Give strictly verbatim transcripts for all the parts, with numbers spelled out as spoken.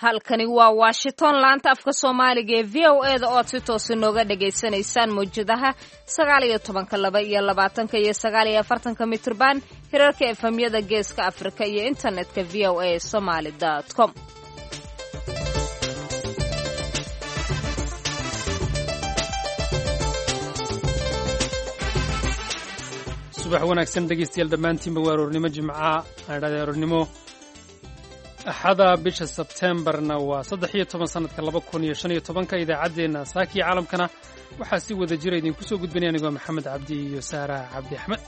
Halkani waa Washington, laanta afka Soomaaliga ee V O E da oo aad si toosa nooga dhagaysanaysaan mawjadaha sagaal iyo tobanka, laba iyo labaatanka iyo sagaal iyo afartanka mitrban, hirarka efamyada Geeska Afrika iyo internetka V O A somaly com. Subax wanaagsan dhegaystayaal dhammaantiinba. Waa aroornimo Jimca, aan idhahday aroornimo Axada, bisha Sebteembarna waa saddex iyo toban sanadka laba kun iyo shan iyo tobanka. Idaacaddeenna saakiyo caalamkana waxaa si wada jira idinku soo gudbinaya anigoo Maxamed Cabdi iyo Saara Cabdi Axmed.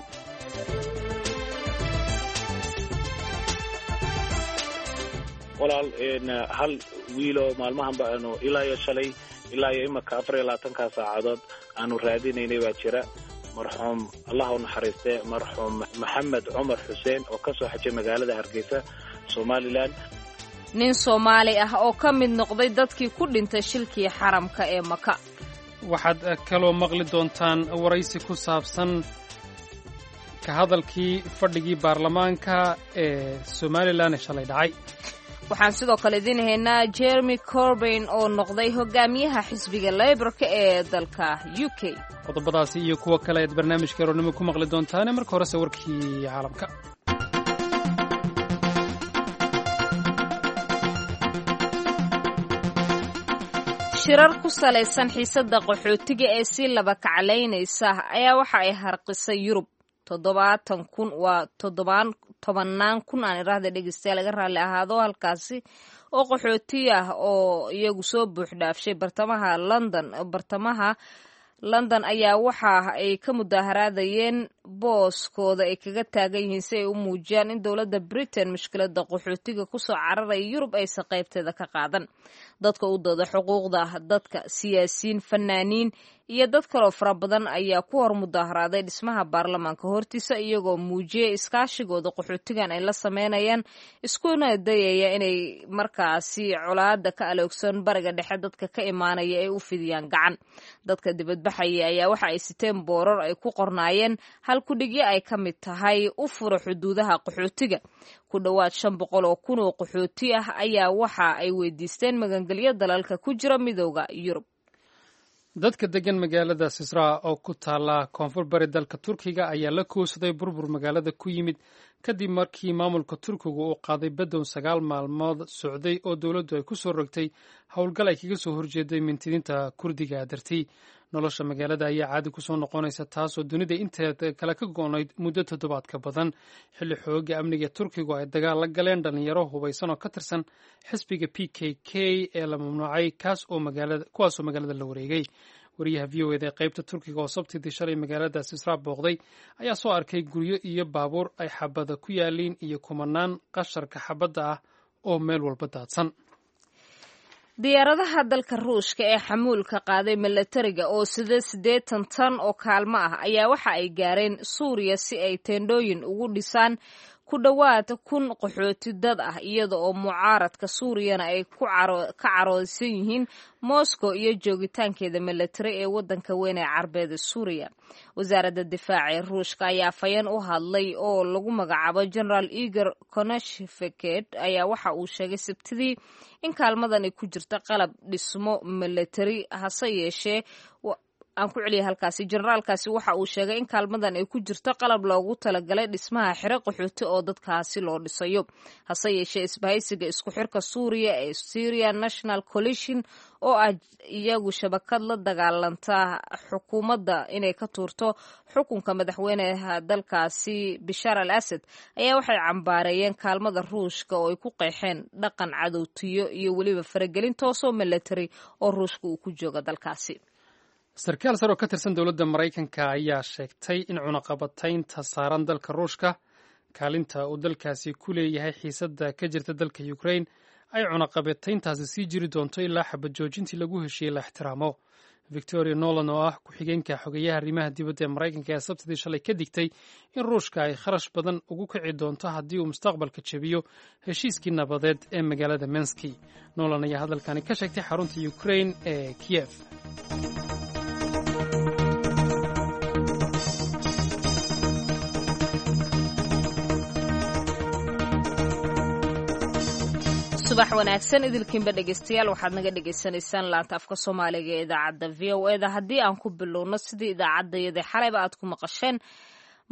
Walaal, hal wiiloo maalmahan ba aanu ilaa iyo shalay ilaa iyo imaka afar iyo labaatankaa saacadood aanu raadinaynay baa jira. Marxuum, Allah u naxariistee, marxuum Maxamed Cumar Xuseen oo ka soo xajay magaalada Hargeysa, Somalilan. Nin Soomaali ah oo ka mid noqday dadkii ku dhintay shilkii xaramka ee Maka. Waxaad kaloo maqli doontaan waraysi ku saabsan ka hadalkii fadhigii baarlamaanka ee Somalilan ee shalay dhacay. Waxaan sidoo kale idiin haynaa Jeremy Corbyn oo noqday hogaamiyaha xisbiga Leyborka ee dalka U K. Qodobadaasi iyo kuwo kale ayaad barnaamijka aroornimo ku maqli doontaane. Marka horese warkii caalamka. Shirar ku salaysan xiisadda qaxootiga ee sii laba kaclaynaysa ayaa waxa ay harqisay Yurub. Toddobaatan kun, waa toddobaan tobannaan kun aan iraahda, dhegeystayaal laga raalli ahaado halkaasi, oo qaxooti ah oo iyagu soo buux dhaafshay bartamaha London bartamaha London ayaa waxa ay ka mudaaharaadayeen booskooda ay kaga taagan yihiin si ay u muujiyaan in dowladda Britain mushkiladda qaxootiga kusoo cararaya Yurub aysan qaybteeda ka qaadan. Dadka u dooda xuquuqda dadka, siyaasiyiin, fanaaniin iyo dad kaloo fara badan ayaa ku hor mudaaharaaday dhismaha baarlamaanka hortiisa, iyagoo muujiyay iskaashigooda qaxootigan ay la sameynayaan, iskuna dayaya inay markaasi colaada ka aloogsan Bariga Dhexe dadka ka imaanaya ay u fidiyaan gacan. Dadka dibadbaxaya ayaa waxa ay siteen boorar ay ku qornaayeen halkudhigyo ay ka mid tahay "U fura xuduudaha qaxootiga". Ku dhowaad shan boqol oo kun oo qaxooti ah ayaa waxa ay weydiisteen magangelyo dalalka ku jira Midooda Yurub. Dadka degan magaalada Sisra oo ku taala koonfur bari dalka Turkiga ayaa la koosaday burbur magaalada ku yimid kadib markii maamulka Turkigu uu qaaday badow sagaal maalmood socday oo dowladdu ay ku soo rogtay howlgal ay kaga soo horjeeday mintidiinta Kurdiga dartii. Nolosha magaalada ayaa caadi kusoo noqonaysa, taasoo dunida inteeda kale ka go'nayd muddo toddobaad ka badan, xilli xooga amniga Turkigu ay dagaal la galeen dhalinyaro hubaysan oo ka tirsan xisbiga P K K ee la mamnuucay, kaas oo magaalada kuwaasoo magaalada la wareegay. Wariyaha V O eda ee qaybta Turkiga oo Sabtidii shalay magaalada Sisra booqday ayaa soo arkay guryo iyo baabuur ay xabada ku yaaliin iyo kumanaan qasharka xabadda ah oo meel walba daadsan. Diyaaradaha dalka Ruushka ee xamuulka qaaday milatariga oo sida siddeetan tan oo kaalmo ah ayaa waxa ay gaareen Suuriya si ay teendhooyin ugu dhisaan ku dhowaad kun qaxooti dad ah, iyada oo mucaaradka Suuriyana ay ka caroosan yihiin Moscow iyo joogitaankeeda milatari ee waddanka weyn ee Carbeed ee Suuriya. Wasaaradda difaaca ee Ruushka ayaa afhayeen u hadlay oo lagu magacaabo Generaal Igor Konashevked ayaa waxa uu sheegay Sabtidii in kaalmadan ay ku jirta qalab dhismo milatari. Hase yeeshee, aan ku celiyay halkaasi, generaalkaasi waxa uu sheegay in kaalmadan ay ku jirto qalab loogu talagalay dhismaha xero qaxooti oo dadkaasi loo dhisayo. Hase yeeshee, isbahaysiga isku xirka Suuriya ee Syria National Coalition, oo ah iyagu shabakad la dagaalanta xukuumadda inay ka tuurto xukunka madaxweynaha dalkaasi Bishaar al Asad, ayaa waxay cambaareeyeen kaalmada Ruushka oo ay ku qeexeen dhaqan cadowtiyo iyo weliba faragelin toosoo milatari oo Ruushka uu ku jooga dalkaasi. Sarkaal sare oo ka tirsan dowladda Maraykanka ayaa sheegtay in cunaqabataynta saaran dalka Ruushka, kaalinta uu dalkaasi ku leeyahay xiisadda ka jirta dalka Ukrain, ay cunaqabatayntaasi sii jiri doonto ilaa xabad joojintii lagu heshiiyey la ixtiraamo. Victoria Nolan oo ah ku-xigeenka xogeyaha arrimaha dibadda ee Maraykanka ee Sabtidii shalay ka digtay in Ruushka ay kharash badan ugu kici doonto haddii uu mustaqbalka jebiyo heshiiskii nabadeed ee magaalada Menski. Nolan ayaa hadalkani ka sheegtay xarunta Ukrain ee Kiyef. Subax wanaagsan idilkiinba dhegeystayaal, waxaad naga dhegeysanaysaan laanta afka Soomaaliga ee idaacadda V O E da. Haddii aan ku bilowno sidii idaacaddayada xalayba aad ku maqasheen,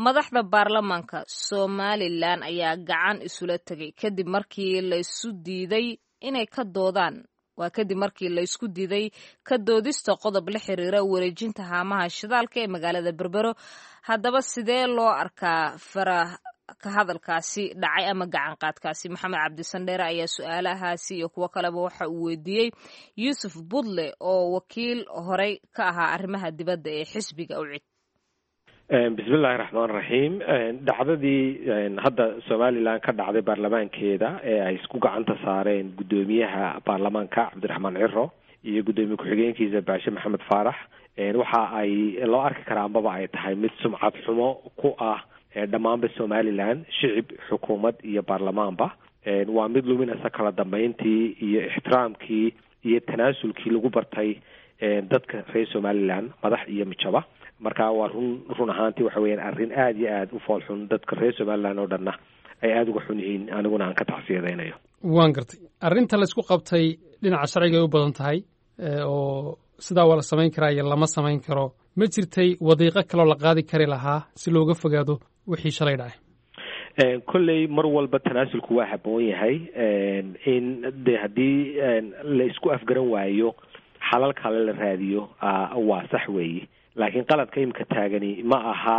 madaxda baarlamaanka Somalilan ayaa gacan isula tegay kadib markii laysu diiday inay ka doodaan, waa kadib markii laysku diiday ka doodista qodob la xiriira wareejinta haamaha shidaalka ee magaalada Berbero. Haddaba sidee loo arkaa fara ka hadalkaasi dhacay ama gacan qaadkaasi? Maxamed Cabdisandheere ayaa su-aalahaasi iyo kuwo kaleba waxa uu weydiiyey Yuusuf Budle oo wakiil horey ka ahaa arrimaha dibadda ee xisbiga UCID. Bismillahi raxmaan raxiim. Dhacdadii hadda Somalilan ka dhacday baarlamaankeeda ee ay isku gacanta saareen guddoomiyaha baarlamaanka Cabdiraxmaan Ciro iyo guddoomiye ku-xigeenkiisa Baashe Maxamed Faarax, waxa ay loo arki karaa ambaba ay tahay mid sumcad xumo ku ah dhammaanba Somalilan, shicib, xukuumad iyo baarlamaanba. Waa mid luminaysa kala dambeyntii iyo ixtiraamkii iyo tanaasulkii lagu bartay dadka reer Somalilan, madax iyo mijaba. Marka waa run run ahaantii waxa weeyaan arrin aada iyo aada u fool xun, dadka reer Somalilan oo dhanna ay aada uga xun yihiin, aniguna aan ka tacsiyadaynayo. Waan gartay. Arrinta laysku qabtay dhinaca sharciga ay u badan tahay, oo sidaa waa la samayn karaa iyo lama samayn karo. Ma jirtay wadiiqo kaloo la qaadi kari lahaa si looga fogaado wixii shalay dhacay? Kolley mar walba tanaasulku waa haboon yahay. In de haddii la isku afgaran waayo xalal kale la raadiyo waa sax weeye, laakiin qaladka imika taagani ma aha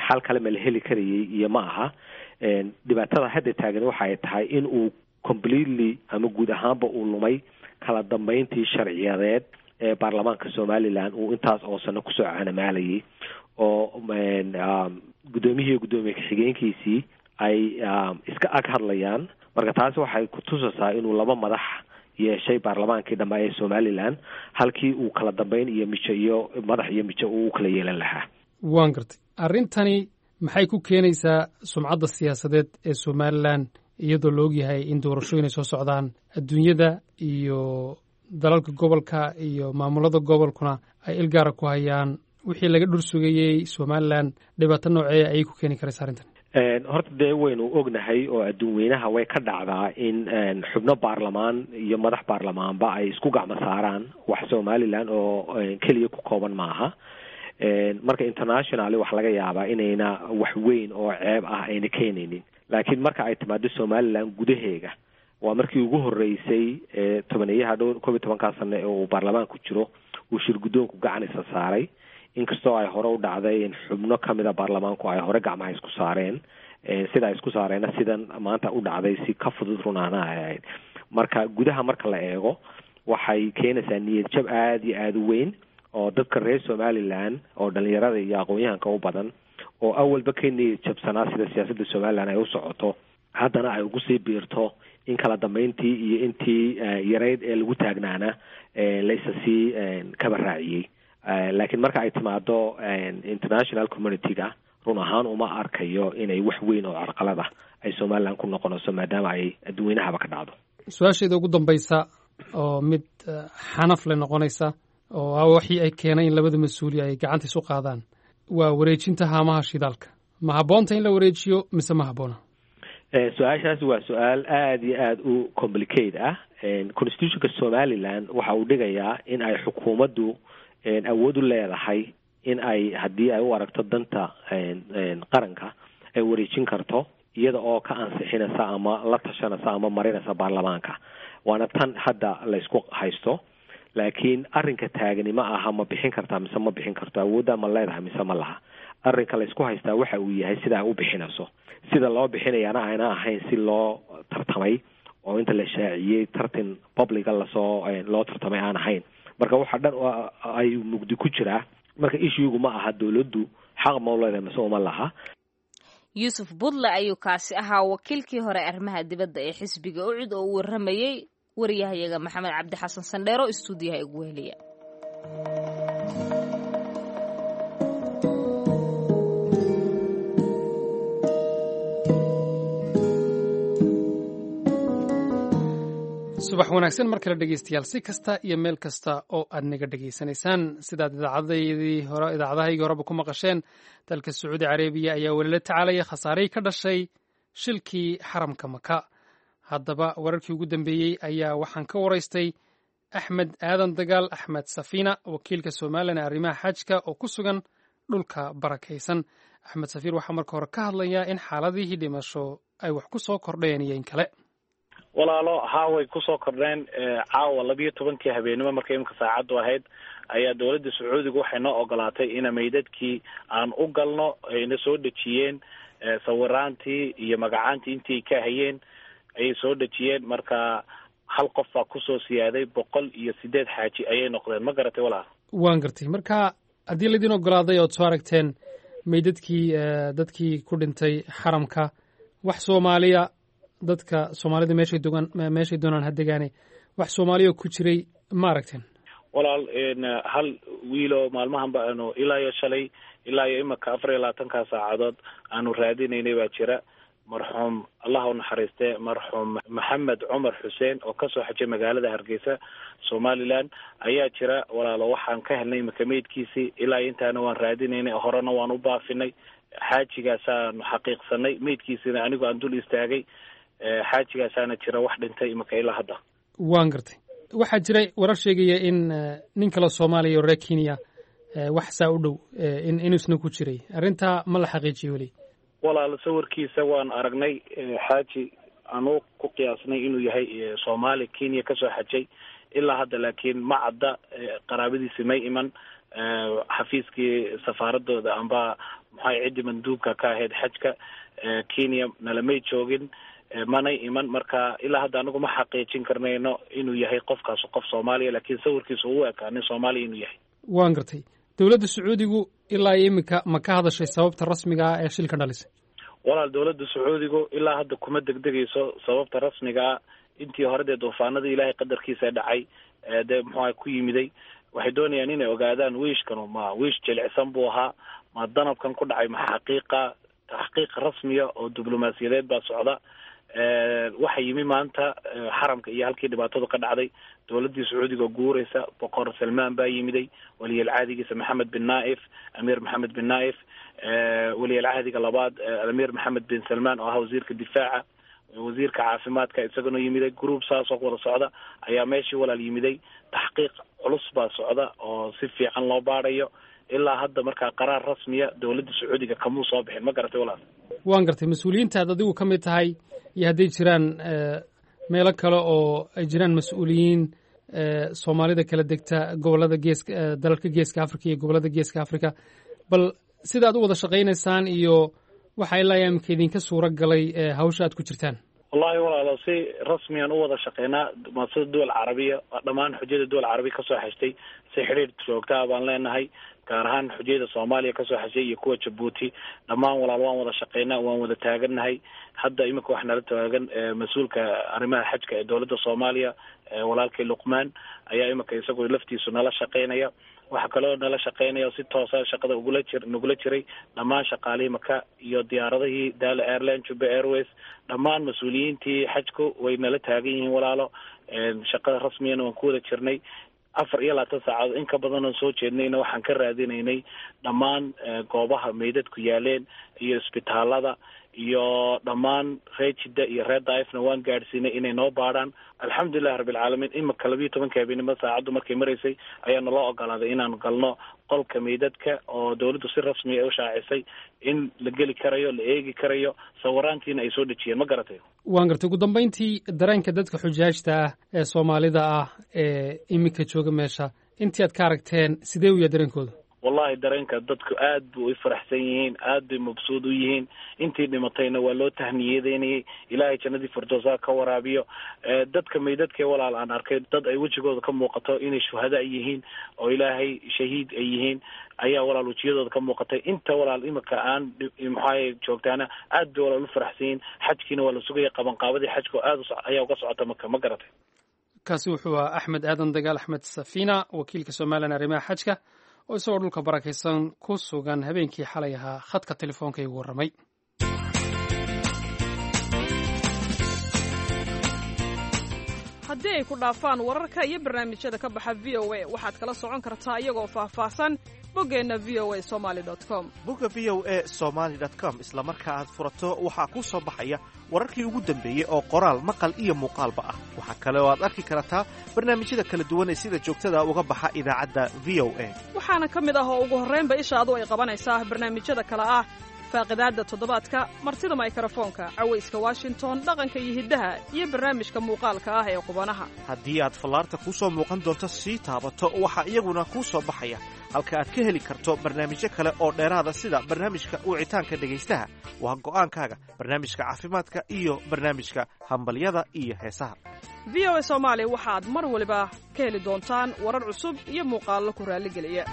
xal kale ma la heli karayay iyo ma aha. Dhibaatada hadda taagani waxa ay tahay in uu completely ama guud ahaanba uu lumay kala dambeyntii sharciyadeed ee baarlamaanka Somalilan uu intaas oo sano kusoo canamaalayay, oo guddoomiyihii guddoomiye ku-xigeenkiisii ay iska ag hadlayaan. Marka taasi waxay kutusaysaa inuu laba madax yeeshay baarlamaankii dhammaa ee Somalilan, halkii uu kala dambeyn iyo mijo iyo madax iyo mijo uu kala yeelan lahaa. Waan gartay. Arrintani maxay ku keenaysaa sumcadda siyaasadeed ee Somalilan, iyadoo la ogyahay in doorashooyin ay soo socdaan, adduunyada iyo dalalka gobolka iyo maamulada gobolkuna ay ilgaara ku hayaan wixii laga dhur sugayey Somalilan? Dhibaato noocee ayay ku keeni karaysa arrintan? Horta dee waynu ognahay oo adduun weynaha way ka dhacdaa in xubno baarlamaan iyo madax baarlamaanba ay isku gacmo saaraan. Wax Somalilan oo keliya ku kooban maaha. Marka internationally waxa laga yaabaa inayna wax weyn oo ceeb ah ayna keenaynin, laakiin marka ay timaado Somalilan gudaheega, waa markii ugu horreysay tobaneeyaha dhowr koob iyo tobankaa sano ee uu baarlamaanku jiro uu shir guddoonku gacan isa saaray, inkastoo ay hore u dhacday in xubno kamida baarlamaanku ay hore gacmaha isku saareen. Sida ay isku saareenna sidan maanta u dhacday si ka fudud runaana ay ahayd. Marka gudaha marka la eego, waxay keenaysaa niyad jab aada iyo aada u weyn oo dadka reer Somalilan oo dhalinyarada iyo aqoon-yahanka u badan, oo awalba ka niyad jabsanaa sida siyaasadda Somalilan ay u socoto, haddana ay ugu sii biirto in kala dambeyntii iyo intii yareyd ee lagu taagnaana laysa sii kaba raaciyey. Laakiin marka ay timaado international community-ga, run ahaan uma arkayo inay wax weyn oo carqalad ah ay Somalilan ku noqonayso, maadaama ay adduunweynahaba ka dhacdo. Su-aasheeda ugu dambaysa oo mid xanaf le noqonaysa, oo ah waxii ay keenay in labada mas-uuli ay gacanta isu qaadaan, waa wareejinta haamaha shidaalka. Ma habboonta in la wareejiyo mise ma habboona? Su-aashaasi waa su-aal aada iyo aada u complicate ah. Constitutionka Somaliland waxa uu dhigayaa in ay xukuumaddu awood u leedahay in ay haddii ay u aragto danta qaranka ay wareejin karto, iyada oo ka ansixinaysa ama la tashanaysa ama marinaysa baarlamaanka. Waana tan hadda laysku haysto. Laakiin arrinka taagani ma aha ma bixin kartaa mise ma bixin karto, awoodda ma leedahay mise ma laha. Arrinka laysku haystaa waxa uu yahay sida ay u bixinayso, sida loo bixinayaana ayna ahayn si loo tartamay oo inta la shaaciyey tartan publica lasoo loo tartamay aan ahayn. Marka waxa dhan ay mugdi ku jiraa. Marka issuegu ma aha dowladdu xaq ma u leedahay mise uma laha. Yuusuf Budle ayuu kaasi ahaa, wakiilkii hore arrimaha dibadda ee xisbiga UCID, oo u warramayey wariyahayaga Maxamed Cabdi Xasan Sandheero, istuudiyaha igu weheliya. Subax wanaagsan mar kale dhegeystayaal, si kasta iyo meel kasta oo aad naga dhegeysanaysaan. Sidaad idaacadaydii hore, idaacadahaygii horeba ku maqasheen, dalka Sacuudi Carabiya ayaa weli la tacaalaya khasaarihii ka dhashay shilkii xaramka Maka. Haddaba wararkii ugu dambeeyey ayaa waxaan ka waraystay Axmed Aadan Dagaal, Axmed Safiina, wakiilka Somalilan ee arrimaha xajka oo ku sugan dhulka barakaysan. Axmed Safiir waxaa marka hore ka hadlayaa in xaaladihii dhimasho ay wax ku soo kordheen iyo in kale. Walaalo, haa, way kusoo kordheen. Caawa labiyo tobankii habeenimo markay imika saacaddu ahayd ayaa dowladda Sacuudiga waxay noo ogolaatay ina meydadkii aan u galno. Ayna soo dhejiyeen sawiraantii iyo magacaantii intii ka hayeen ayay soo dhejiyeen. Marka hal qof baa kusoo siyaaday, boqol iyo sideed xaaji ayay noqdeen. Ma garatay, walaal? Waan gartay. Marka haddii laydin ogolaaday ood soo aragteen meydadkii dadkii ku dhintay xaramka, wax Soomaaliya, dadka Soomaalida meeshay dogaan meeshay doonaan ha degaane, wax Soomaaliya ku jiray ma aragteen? Walaal, hal wiiloo maalmahan ba aanu ilaa iyo shalay ilaa iyo imika afar iyo labaatankaa saacadood aanu raadinaynay baa jira. Marxuum, Allah u naxariistee, marxuum Maxamed Cumar Xuseen oo kasoo xajay magaalada Hargeysa, Somaliland, ayaa jira, walaalo. Waxaan ka helnay imika meydkiisii. Ilaa intaana waan raadinaynay, horena waan u baafinay. Xaajigaasaanu xaqiiqsanay meydkiisina, anigu aan dul istaagay. Xaajigaasaana jira wax dhintay imika ilaa hadda. Waan gartay. Waxaa jiray warar sheegaya in nin kale Soomaaliya oo reer Kenya wax saa u dhow in inuusna ku jiray. Arrintaa ma la xaqiijiyo weli? Walaal, sawirkiisa waan aragnay. Xaaji anuu ku qiyaasnay inuu yahay Soomaali Kenya kasoo xajay. Ilaa hadda laakiin ma cadda, qaraabadiisi may iman. Xafiiskii safaaradooda amba maxay ciddii manduubka ka ahayd xajka Kenya nalamay joogin, manay iman. Marka ilaa hadda anagu ma xaqiijin karnayno inuu yahay qofkaas qof Soomaaliya, laakiin sawirkiisa uu ekaa nin Soomaaliya inuu yahay. Waan gartay. Dowladda Sacuudigu ilaa iyo iminka ma ka hadashay sababta rasmiga ah ee shilka dhalisay? Walaal, dowladda Sacuudigu ilaa hadda kuma degdegayso sababta rasmiga ah. Intii hore dee duufaanadii Ilaahay qadarkiisa dhacay dee muxuaha ku yimiday, waxay doonayaan inay ogaadaan wiishkanu ma wiish jilicsan buu ahaa, ma danabkan ku dhacay ma xaqiiqa. Taxqiiq rasmiya oo diblomaasiyadeed baa socda. Waxa yimi maanta xaramka iyo halkii dhibaatadu ka dhacday dowladdii Sacuudiga oo guureysa. Boqor Salmaan baa yimiday, waliyal cahdigiisa Maxamed bin Naif, Amiir Maxamed bin Naif, waliyal cahdiga labaad Amiir Maxamed bin Salmaan oo ahaa wasiirka difaaca, wasiirka caafimaadka isaguna yimiday. Group saasoo wada socda ayaa meeshii, walaal, yimiday. Taxqiiq culus baa socda oo si fiican loo baarayo ilaa hadda. Markaa qaraar rasmiya dowladda Sacuudiga kamuu soo bixin. Ma garatay, walaal? Waan gartay. Mas-uuliyiinta aad adigu ka mid tahay iyo hadday jiraan meelo kale oo ay jiraan mas-uuliyiin Soomaalida kala degta gobolada geeska, dalalka Geeska Africa iyo gobolada Geeska Africa, bal sida aad u wada shaqaynaysaan iyo waxa ilaa imika idinka suura galay hawsha aad ku jirtaan. Wallahi walaalo, si rasmiyan u wada shaqeynaa. Sida duwal carabiya, dhammaan xujada duwal carabiya kasoo xeshtay si xidhiir joogtaa baan leenahay, gaar ahaan xujayada Soomaaliya kasoo xeshay iyo kuwa Jabuuti. Dhammaan, walaal, waan wada shaqeynaa, waan wada taagannahay. Hadda imika waxaa nala taagan mas-uulka arrimaha xajka ee dowladda Soomaaliya, walaalkay Luqmaan, ayaa imika isagu laftiisu nala shaqeynaya. Waxaa kaloo nala shaqeynaya si toosa shaqada ugula jir nagula jiray dhammaan shaqaalihii Maka iyo diyaaradihii Dala Airline, Juba Airways. Dhammaan mas-uuliyiintii xajku way nala taagan yihiin, walaalo. Shaqada rasmiyana waan ku wada jirnay. Afar iyo labaatan saacadood in ka badan oon soo jeednayna waxaan ka raadinaynay dhammaan goobaha meydadku yaaleen iyo isbitaalada iyo dhammaan reer Jidda iyo reer Daaifna waan gaadhsiinay inay noo baadhaan. Alxamdulilahi rabbilcaalamiin, imika labiiyo tobanka habeenimo saacaddu markay maraysay ayaa naloo ogolaaday inaanu galno qolka meydadka oo dowladdu si rasmiya u shaacisay in la geli karayo, la eegi karayo, sawiraantiina ay soo dhejiyeen. Ma garatay? Waan gartay. Ugu dambeyntii, dareenka dadka xujaajta ah ee Soomaalida ah ee iminka jooga meesha, intii aad ka aragteen, sidee u yahay dareenkooda? Wallahi, dareenka dadku aad bu u faraxsan yihiin, aad bay mabsuud u yihiin. Intii dhimatayna waa loo tahniyadeynayay, Ilaahay jannadii firdowsaa ka waraabiyo. Dadka meydadkee, walaal, aan arkay dad ay wejigooda ka muuqato inay shuhada yihiin oo Ilaahay shahiid ay yihiin ayaa, walaal, wejiyadooda ka muuqatay. Inta, walaal, imika aan maxaay joogtaana aad bay, walaal, u faraxsan yihiin. Xajkiina waa la sugaya, qabanqaabadii xajka aad ayaa uga socota Maka. Ma garatay? Kaasi wuxuu ahaa Axmed Aadan Dagaal, Axmed Safiina, wakiilka Somalilan arrimaha xajka, oo isagoo dhulka barakaysan ku sugan habeenkii xalay ahaa khadka telefoonka igu warramay. Haddii Haddii ay ku dhaafaan wararka iyo barnaamijyada ka baxa V O A, waxaad kala socon kartaa iyagoo faahfaahsan boggeenna V O A somaly com. Bogga V O A somaly com isla marka aad furato, waxaa kuu soo baxaya wararkii ugu dambeeyey oo qoraal, maqal iyo muuqaalba ah. Waxaa kale oo aad arki kartaa barnaamijyada kala duwan ee sida joogtada uga baxa idaacadda V O A. Waxaana ka mid ah oo ugu horraynba ishaadu ay qabanaysaa barnaamijyada kale ah: Faaqidaadda Toddobaadka, Martida Maykarafoonka, Cawayska Washington, Dhaqanka iyo Hiddaha iyo barnaamijka muuqaalka ah ee Qubanaha. Haddii aad fallaarta kuu soo muuqan doonto sii taabato, waxaa iyaguna kuu soo baxaya halka aad ka heli karto barnaamijyo kale oo dheeraada, sida barnaamijka wicitaanka dhegaystaha, Waa Go'aankaaga, barnaamijka caafimaadka iyo barnaamijka Hambalyada iyo Heesaha. V O A Soomaali waxaad mar waliba ka heli doontaan warar cusub iyo muuqaallo ku raalligeliya.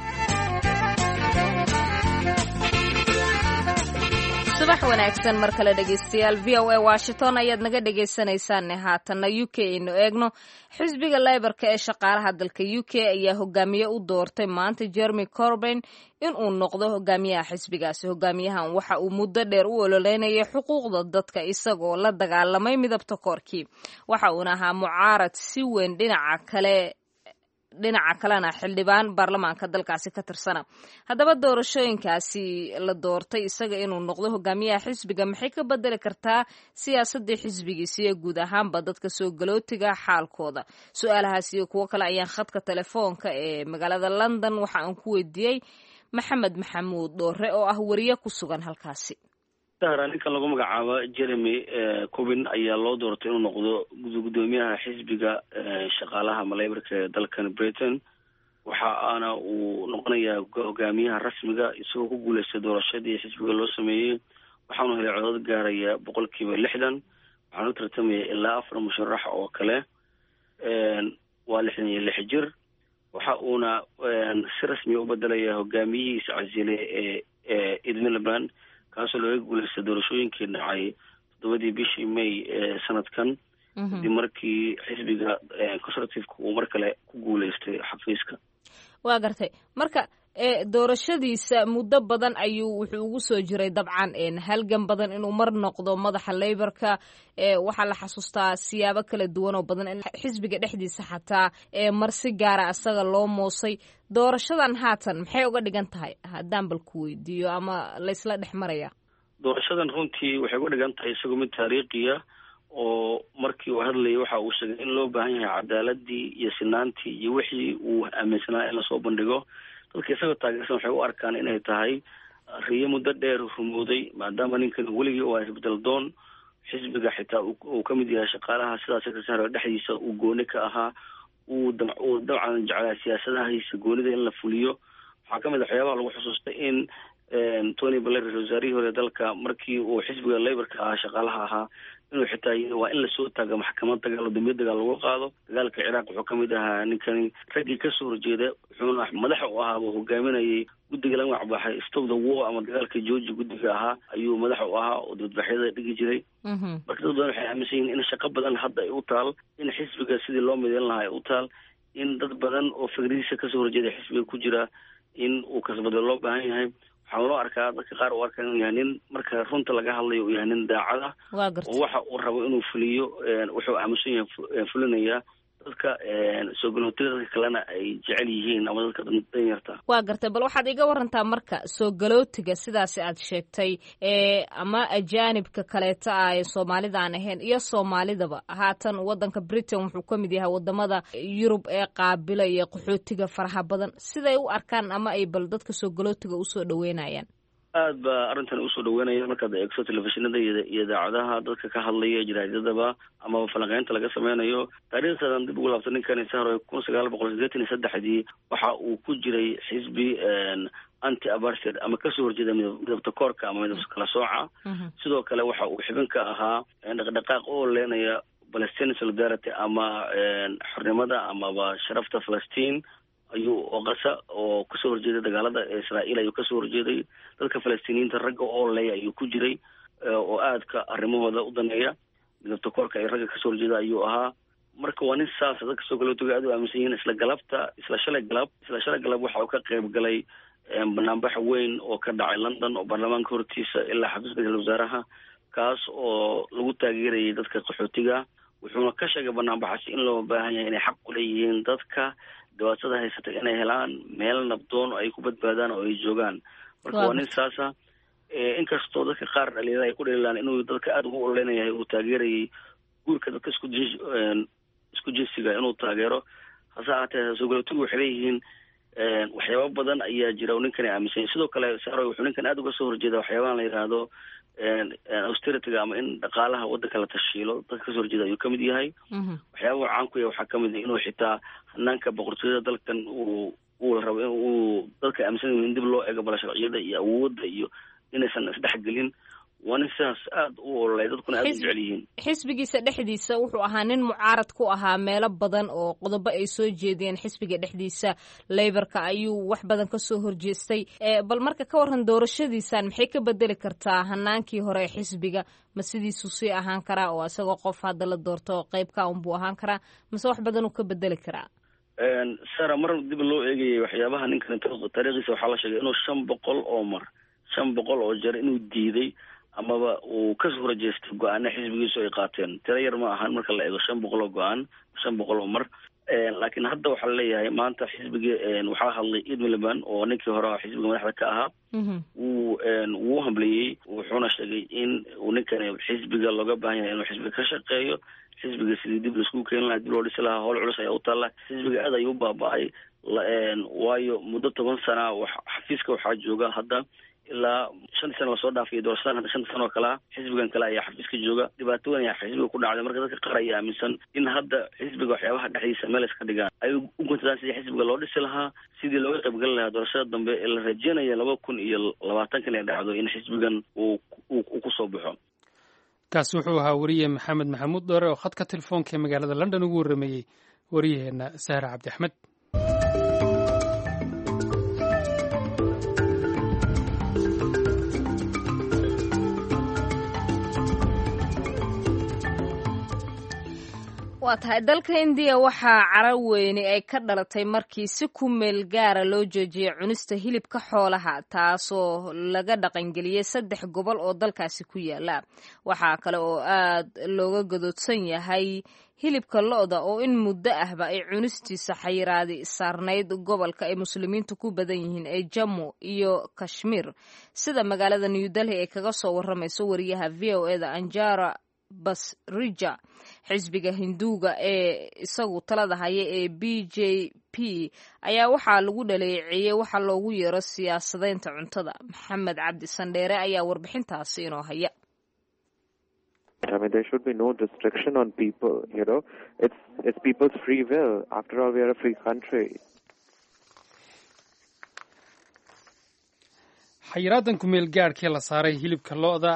Subax wanaagsan mar kale, dhegeystayaal. V O A Washington ayaad naga dhegeysaneysaan. Haatanna U K aynu eegno. Xisbiga Labourka ee shaqaalaha dalka U K ayaa hogaamiye u doortay maanta Jeremy Corbyn inuu noqdo hogaamiyaha xisbigaasi. Hogaamiyahan waxa uu muddo dheer u ololeynayay xuquuqda dadka, isagoo la dagaalamay midabta koorkii. Waxa uuna ahaa mucaarad si weyn dhinaca kale, dhinaca kalena xildhibaan baarlamaanka dalkaasi ka tirsana. Haddaba doorashooyinkaasi la doortay isaga inuu noqdo hogaamiyaha xisbiga maxay ka bedeli kartaa siyaasadii xisbigiisa iyo guud ahaanba dadka soo galootiga xaalkooda? Su-aalahaas iyo kuwo kale ayaan khadka telefoonka ee magaalada London waxa aan ku weydiiyey Maxamed Maxamuud Dhoore oo ah wariye ku sugan halkaasi. Sahra, ninkan lagu magacaabo Jeremy Corbyn ayaa loo doortay inuu noqdo gudoomiyaha xisbiga shaqaalaha ama Labourka ee dalkan Britain. Waxa aana uu noqonayaa hogaamiyaha rasmiga, isagoo ku guuleystay doorashadii xisbiga loo sameeyey. Waxaanu helay codad gaaraya boqolkiiba lixdan. Waxaanu u tartamaya ilaa afar musharax oo kale. Waa lixdan iyo lix jir. Waxa uuna si rasmiya u bedelaya hogaamiyihiisa casilay ee ee Ed Miliband, kaasoo looga guuleystay doorashooyinkii dhacay toddobadii bishii May ee sanadkan, kadib markii xisbiga Conservativeka uu mar kale ku guuleystay xafiiska. Waa gartay. Marka doorashadiisa muddo badan ayuu wuxuu ugu soo jiray dabcan halgan badan inuu mar noqdo madaxa Labourka. Waxaa la xasuustaa siyaabo kala duwan oo badan in xisbiga dhexdiisa xataa mar si gaara asaga loo moosay. Doorashadan haatan maxay uga dhigan tahay, haddaan bal ku weydiiyo, ama laysla dhex maraya? Doorashadan runtii waxay uga dhigan tahay isagoo mid taariikhiya, oo markii uu hadlayay waxa uu sheegay in loo baahan yahay cadaaladii iyo sinaantii iyo wixii uu aaminsanaa in lasoo bandhigo. Dadka isagoo taageersan waxay u arkaan inay tahay riyo muddo dheer rumooday, maadaama ninkan weligii oo isbedel doon, xisbiga xitaa uu ka mid yahay shaqaalaha sidaas sahro dhexdiisa uu gooni ka ahaa, uu uu dabcan jeclaa siyaasadahiisa goonida in la fuliyo. Waxaa kamid a waxyaabaha lagu xusuustay in Tony Blair, ra-isul wasaarihii hore dalka, markii uu xisbiga Labourka ahaa, shaqaalaha ahaa, inuu xitaa yiri waa in lasoo taago maxkamad dagaal oo dambiyo dagaal lagu qaado. Dagaalka Ciraaq wuxuu kamid ahaa ninkani raggii kasoo horjeeda, wuxuuna madaxa u ahaaba hogaaminayay guddiga la magacbaxay Stop the War ama dagaalka jooji. Guddiga ahaa ayuu madaxa u ahaa oo dibadbaxyada dhigi jiray. Marka dad badan waxay aaminsan yihiin in shaqo badan hadda ay u taal, in xisbiga sidii loo mideyn lahaa ay u taal, in dad badan oo fikradiisa kasoo horjeeda xisbiga ku jira in uu kasbado loo baahan yahay. Waxaa loo arkaa, dadka qaar u arkaa, inuu yahay nin marka runta laga hadlayo uu yahay nin daacad ah oo waxa uu rabo inuu fuliyo, wuxuu aaminsan yahay fulinayaa, dadka soo galootiga, dadka kalena ay jecel yihiin ama dadka danyarta. Waa gartay. Bal waxaad iga warantaa marka soo galootiga sidaasi aad sheegtay ama ajaanibka kaleeta ah ee Soomaalida aan ahayn iyo Soomaalidaba, haatan wadanka Britain wuxuu ka mid yahay wadamada Yurub ee qaabilaya qaxootiga faraha badan. Siday u arkaan ama ay bal dadka soo galootiga usoo dhaweynayaan? Aad ba arrintan usoo dhaweynaya. Markaad eegto telefishinada iyo idaacadaha, dadka ka hadlaya, jaraadadaba amaba falanqeynta laga sameynayo, taariikhdan dib ugu laabta ninkani, Sahro, kun sagaal boqol sideetan iyo saddexdii waxa uu ku jiray xisbi anti apartheid ama kasoo horjeeda midabta koorka ama midab kala sooca. Sidoo kale waxa uu xubin ka ahaa dhaqdhaqaaq u ololeenaya Palestine Solidarity ama xornimada amaba sharafta Falastiin ayuu oo Qasa oo kasoo horjeeday dagaalada Israa'iil ayuu kasoo horjeeday. Dadka Falastiiniyiinta ragga oo leeya ayuu ku jiray, oo aadka arrimahooda u daneeya, midabta koorka ay ragga kasoo horjeeda ayuu ahaa. Marka waa nin saasa dadka soo galootiga aad u aaminsan yihiin. Isla galabta, isla shalay galab isla shalay galab waxa uu ka qayb galay banaanbax weyn oo ka dhacay London oo baarlamaanka hortiisa ilaa xafiiska ra-iisul wasaaraha, kaas oo lagu taageerayay dadka qaxootiga. Wuxuuna ka sheegay banaanbaxaasi in loo baahan yahay inay xaq ku leeyihiin dadka dhibaatada haysata inay helaan meel nabdoon oo ay ku badbaadaan oo ay joogaan. Marka waa nin saasa, inkastoo dadka qaar dhalinyarada ay ku dhaliilaan inuu dadka aada ugu ololeynayahay, uu taageerayay guurka dadka isku isku jinsiga inuu taageero. Hase ahaatee soo galootigu waxay leeyihiin waxyaaba badan ayaa jira oo ninkani aaminsan. Sidoo kale, Saro, wuxuu ninkan aada uga soo horjeeda waxyaabahan la yidhaahdo austerity-ga ama in dhaqaalaha waddanka la tashiilo. Dadka kasoo horjeeda ayuu kamid yahay. Waxyaabahu caan ku yahay waxaa kamid ah inuu xitaa hanaanka boqortooyada dalkan uu uu rabo in uu dadka aaminsan yihin in dib loo eego bala sharciyada iyo awoodda iyo inaysan isdhexgelin. Waa nin sidaas aada u ololay, dadkuna aada u jecel yihiin. Xisbigiisa dhexdiisa wuxuu ahaa nin mucaarad ku ahaa meelo badan oo qodobo ay soo jeediyeen. Xisbiga dhexdiisa Labour-ka ayuu wax badan kasoo horjeestay. Bal marka ka waran doorashadiisan, maxay ka bedeli kartaa hanaankii hore ee xisbiga? Ma sidiisuu sii ahaan karaa oo isagoo qof hadda la doorto qeybka unbuu ahaan karaa, mase wax badan uu ka bedeli karaa? Sara, mar dib loo eegayay waxyaabaha ninkan taariikhdiisa, waxaa la sheegay inuu shan boqol oo mar shan boqol oo jeer inuu diiday amaba uu kasoo horjeestay go-aana xisbigiisu ay qaateen. Tiro yar ma ahan marka la eego shan boqol oo go-aan, shan boqol oo mar. Laakiin hadda waxaa laleeyahay maanta xisbigii waxaa hadlay Ed Miliband oo ninkii hore xisbiga madaxda ka ahaa. Wuu wuu hambaliyey, wuxuuna sheegay in uu ninkani xisbiga looga baahan yahay inuu xisbiga ka shaqeeyo, xisbiga sidii dib laiskugu keeni lahaa, dib loo dhisi lahaa. Howl culus ayaa u taalla xisbiga, aad ayuu u baaba-ay, waayo muddo toban sana xafiiska waxaa jooga hadda ilaa shantii sana lasoo dhaafay doorashadan hadda shanta sano oo kale ah xisbigan kale ayaa xafiiska jooga. Dhibaato weyn ayaa xisbiga ku dhacday. Marka dadka qaar ayaa aaminsan in hadda xisbiga waxyaabaha dhexdiisa meel iska dhigaan, ay u guntadaan sidii xisbiga loo dhisi lahaa, sidii looga qaybgeli lahaa doorashada dambe ee la rajeynaya laba kun iyo labaatankan ay dhacdo in xisbigan uu uu kusoo baxo. Kaasi wuxuu ahaa wariye Maxamed Maxamuud Dhoore oo khadka telefoonka ee magaalada London ugu warrameeyey wariyaheenna Sahra Cabdi Axmed. Waa tahay, dalka Indiya waxaa caro weyni ay ka dhalatay markii si ku meel gaara loo joojiyey cunista hilibka xoolaha, taasoo laga dhaqangeliyey saddex gobol oo dalkaasi ku yaala. Waxaa kale oo aad looga gadoodsan yahay hilibka lo'da oo in muddo ahba ay cunistiisa xayiraadi saarnayd gobolka ay muslimiintu ku badan yihiin ee Jammu iyo Kashmir, sida magaalada New Delhi ay kaga soo waramayso wariyaha V O E da Anjana Pasricha. Xisbiga Hinduuga ee isagu talada haya ee B J P ayaa waxaa lagu dhaleeceeyey waxa loogu yeero siyaasadaynta cuntada. Maxamed Cabdi Sandheere ayaa warbixintaasi inoo haya. I mean, there should be no restriction on people, you know. It's, it's people's free will. After all, we are a free country. Xayiraadan kumeel gaadhkii la saaray hilibka lo'da,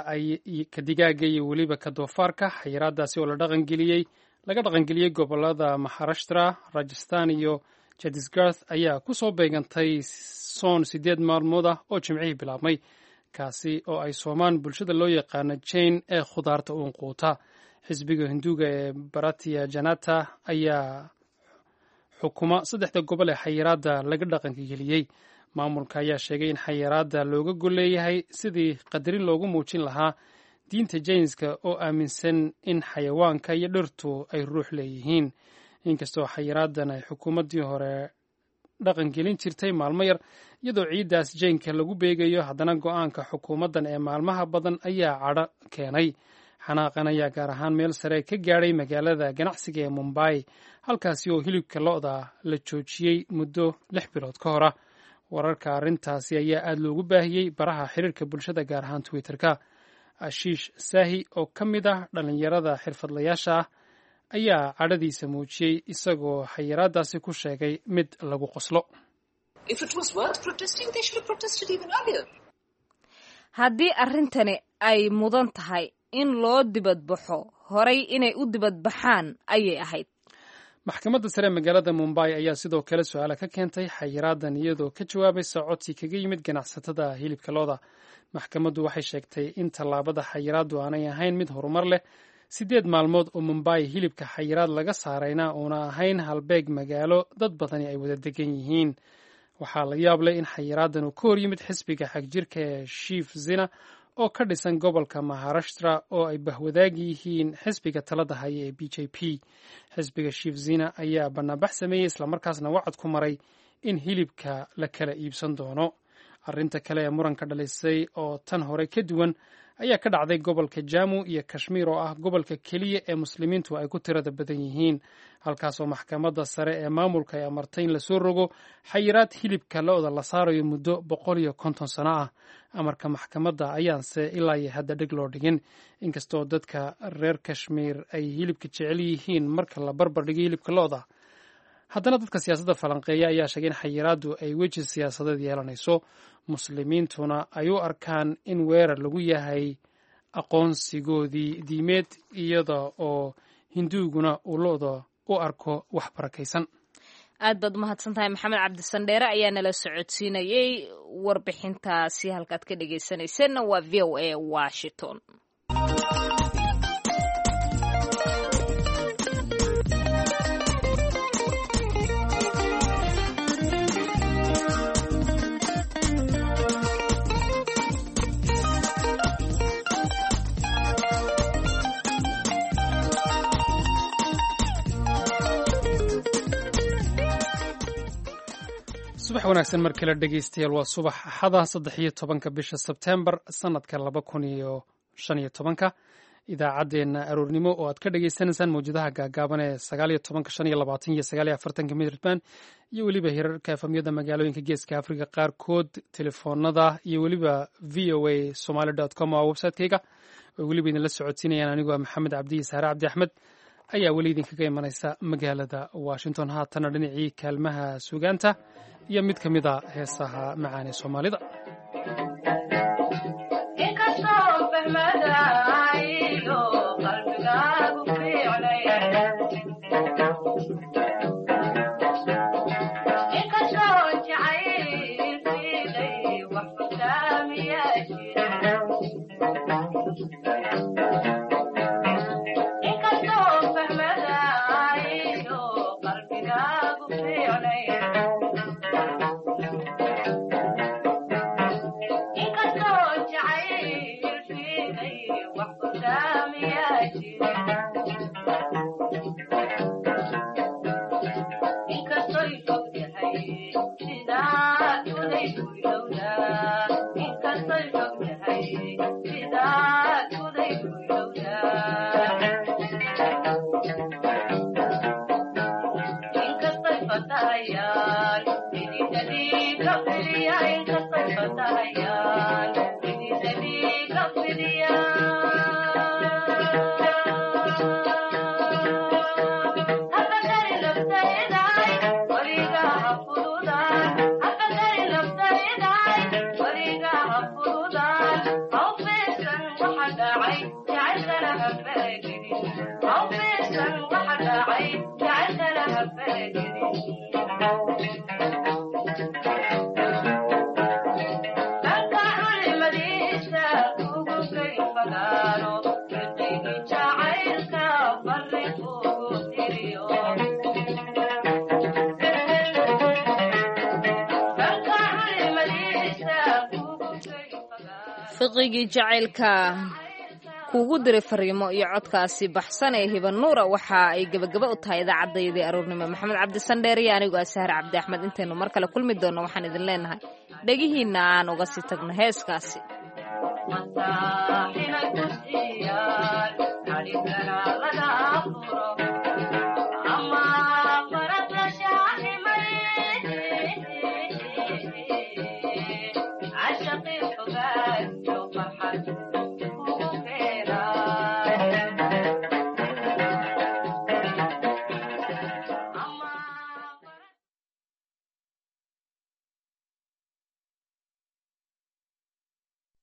ka digaaga iyo weliba ka doofaarka, xayiraadaasi oo la dhaqangeliyey laga dhaqangeliyey gobolada Maharashtra, Rajasthan iyo Chhattisgarh, ayaa ku soo beegantay soon sideed maalmood ah oo Jimcihii bilaabmay, kaasi oo ay soomaan bulshada loo yaqaano Jain ee khudaarta uun quuta. Xisbiga Hinduuga ee Bharatiya Janata ayaa xukuma saddexda gobol ee xayiraadda laga dhaqangeliyey. Maamulka ayaa sheegay in xayiraadda looga gol leeyahay sidii qadarin loogu muujin lahaa diinta Jainska oo aaminsan in xayawaanka iyo dhirtu ay ruux leeyihiin. Inkastoo xayiraaddan ay xukuumaddii hore dhaqangelin jirtay maalmo yar iyadoo ciiddaas Jainka lagu beegayo, haddana go-aanka xukuumaddan ee maalmaha badan ayaa cadho keenay. Xanaaqan ayaa gaar ahaan meel sare ka gaadhay magaalada ganacsiga ee Mumbai, halkaasi oo hilibka lo'da la joojiyey muddo lix bilood ka hor ah. Wararka arrintaasi ayaa aada loogu baahiyey baraha xiriirka bulshada, gaar ahaan Twitter-ka. Ashiish Saahi oo ka mid ah dhallinyarada xirfadlayaasha ah ayaa cadhadiisa muujiyey, isagoo xayiraadaasi ku sheegay mid lagu qoslo. If it was worth protesting, they should have protested even earlier. Haddii arrintani ay mudan tahay in loo dibadbaxo, horay inay u dibadbaxaan ayay ahayd. Maxkamadda sare magaalada Mumbai ayaa sidoo kale su-aala ka keentay xayiraadan, iyadoo ka jawaabaysa codsi kaga yimid ganacsatada hilibka lo'da. Maxkamaddu waxay sheegtay in tallaabada xayiraaddu aanay ahayn mid horumar leh, siddeed maalmood oo Mumbai hilibka xayiraad laga saarayna uuna ahayn halbeeg magaalo dad badani ay wada degan yihiin. Waxaa la yaab leh in xayiraadan uu ka hor yimid xisbiga xagjirka ee Shiv Sena oo ka dhisan gobolka Maharashtra oo ay bahwadaag yihiin xisbiga talada haya ee B J P. Xisbiga Shiv Sena ayaa banaanbax sameeyey, islamarkaasna wacad ku maray in hilibka la kala iibsan doono. Arrinta kale ee muranka dhalisay oo tan hore ka duwan ayaa ka dhacday gobolka Jamu iyo Kashmiir, oo ah gobolka keliya ee muslimiintu ay ku tirada badan yihiin, halkaasoo maxkamadda sare ee maamulka ay amartay in lasoo rogo xayiraad hilibka lo-da la saarayo muddo boqol iyo konton sano ah. Amarka maxkamadda ayaanse ilaa iyo hadda dheg loo dhigin, inkastoo dadka reer Kashmiir ay hilibka jecel yihiin marka la barbar dhigo hilibka lo-da. Haddana dadka siyaasadda falanqeeya ayaa sheegay in xayiraaddu ay weji siyaasadeed yeelanayso, muslimiintuna ay u arkaan in weerar lagu yahay aqoonsigoodii diimeed, iyada oo hinduuguna uu lo-da u arko wax barakaysan. Aad baad umahadsan tahay, Maxamed Cabdisandheere ayaa nala socodsiinayey warbixintaasi. Halkaad ka dhegeysanayseena waa V O A Washington. Subax wanaagsan mar kale, dhegeystayaal. Waa subax Axada, saddex iyo tobanka bisha Sebtembar, sanadka laba kun iyo shan iyo tobanka. Idaacaddeenna aroornimo oo aad ka dhagaysanaysaan mawjadaha gaagaaban ee sagaal iyo tobanka, shan iyo labaatan iyo sagaal iyo afartanka mitirban, iyo weliba hirarka efamyada magaalooyinka Geeska Afrika qaarkood, telefoonada iyo weliba V O A Somaly com oo website-kayga, oo weliba idinla socodsiinayaan anigoo ah Maxamed Cabdi iyo Saare Cabdi Axmed, ayaa weli idinkaga imanaysa magaalada Washington. Haatana dhinacii kaalmaha suugaanta iyo mid ka mid a heesaha macaan ee Soomaalida. Fiqigii jacaylka kuugu diray fariimo iyo codkaasi baxsan ee Hibanuura waxa ay gebagaba u tahay idaacaddayadii aroornimo. Maxamed Cabdisandheer iyo anigu Sahar Cabdi Axmed, intaynu mar kale kulmi doonno, waxaan idin leenahay dhegihiinna aan uga sii tagno heeskaasi.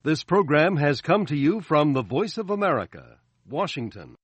This program has come to you from the Voice of America, Washington.